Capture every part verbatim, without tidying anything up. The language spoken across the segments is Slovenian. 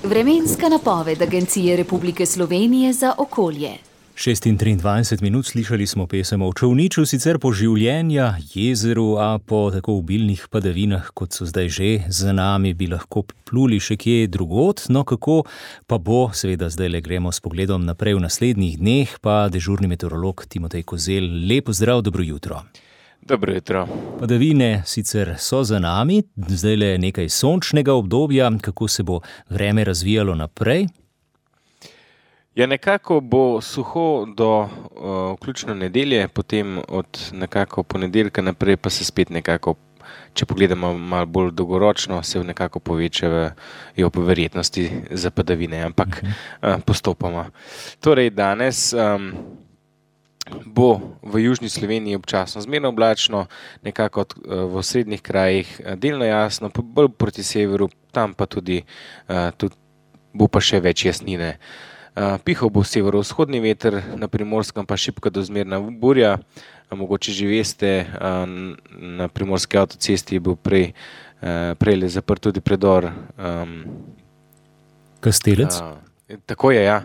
Vremenska napoved Agencije Republike Slovenije za okolje. šestindvajset minut slišali smo pesem o čolniču, sicer po življenja, jezeru, a po tako obilnih padavinah, kot so zdaj že za nami, bi lahko pluli še kje drugod. No, kako pa bo, seveda zdaj le gremo s pogledom naprej v naslednjih dneh, pa dežurni meteorolog Timotej Kozelj. Lep pozdrav, dobro jutro. Dobro jutro. Padavine sicer so za nami, zdaj le nekaj sončnega obdobja, kako se bo vreme razvijalo naprej? Ja, nekako bo suho do uh, vključno nedelje, potem od nekako ponedeljka naprej pa se spet nekako, če pogledamo malo bolj dolgoročno, se nekako povečajo verjetnosti za padavine, ampak uh, postopoma. Torej, danes um, bo v južni Sloveniji občasno zmerno oblačno, nekako od, uh, v srednjih krajih delno jasno, bolj proti severu, tam pa tudi, uh, tudi bo pa še več jasnine. Uh, pihal bo severovzhodni veter, na Primorskem pa šibka do zmerna burja. Uh, mogoče že veste, uh, na primorski avtocesti je bil prej, uh, prej zaprt tudi predor. Um, Kastelec? Uh, tako je, ja.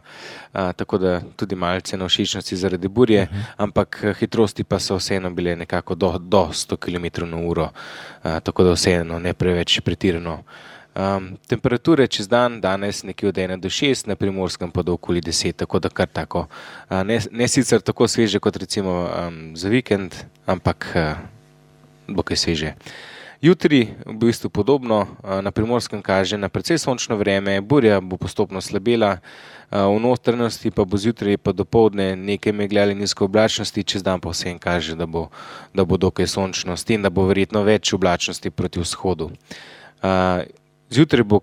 Uh, tako da tudi malce nevšečnosti zaradi burje, uh -huh. ampak hitrosti pa so vseeno bile nekako do, do sto kilometrov na uro, uh, tako da vseeno ne preveč pretirano. Um, temperature čez dan, danes nekje od ena do šest, na Primorskem pa do okoli deset, tako da kar tako. Uh, ne, ne sicer tako sveže kot recimo um, za vikend, ampak uh, bo kaj sveže. Jutri v bistvu podobno, uh, na Primorskem kaže na precej sončno vreme, burja bo postopno slabela, uh, v notranjosti pa bo zjutraj pa dopoldne nekaj megle ali nizko oblačnosti, čez dan pa vsem kaže, da bo, da bo dokaj sončno, s tem, da bo verjetno več oblačnosti proti vzhodu. Uh, Zjutraj bo,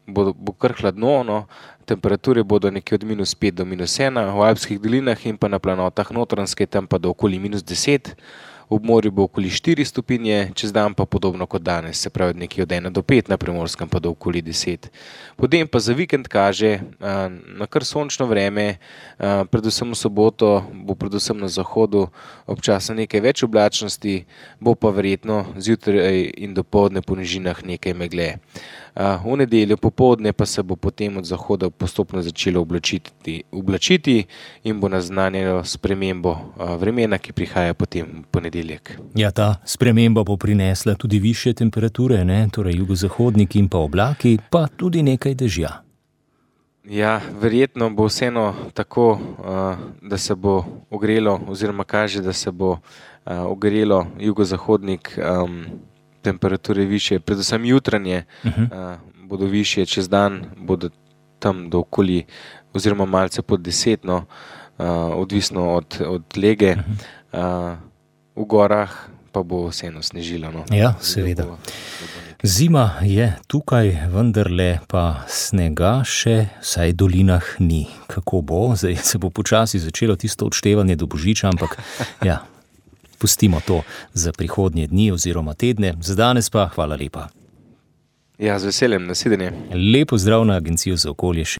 bo, bo kar hladno, no, temperature bodo nekje od minus pet do minus ena, v alpskih dolinah in pa na planotah Notranjske tam pa do okoli minus deset, ob morju bo okoli štiri stopinje, čez dan pa podobno kot danes, se pravi nekje od ena do pet, na Primorskem pa do okoli deset. Potem pa za vikend kaže a, na kar sončno vreme, a, predvsem v soboto bo predvsem na zahodu občasno nekaj več oblačnosti, bo pa verjetno zjutraj in dopoldne po nižinah nekaj megle. V nedeljo popoldne pa se bo potem od zahoda postopno začelo oblačiti, oblačiti in bo naznanjalo spremembo vremena, ki prihaja potem v ponedeljek. Ja, ta sprememba bo prinesla tudi višje temperature, ne? Torej jugozahodniki in pa oblaki, pa tudi nekaj dežja. Ja, verjetno bo vseeno tako, da se bo ogrelo, oziroma kaže, da se bo ogrelo jugozahodnik, temperature više, predvsem jutranje uh-huh. uh, bodo više, čez dan bodo tam do okoli, oziroma malce pod deset, no, uh, odvisno od, od lege. Uh-huh. Uh, v gorah pa bo vseeno snežilo. No. Ja, seveda. Zima je tukaj, vendarle pa snega še, saj v dolinah ni. Kako bo? Zdaj se bo počasi začelo tisto odštevanje do Božiča, ampak ja. Pustimo to za prihodnje dni oziroma tedne. Za danes pa hvala lepa. Ja, z veseljem, nasvidenje. Lep pozdrav na Agencijo za okolje.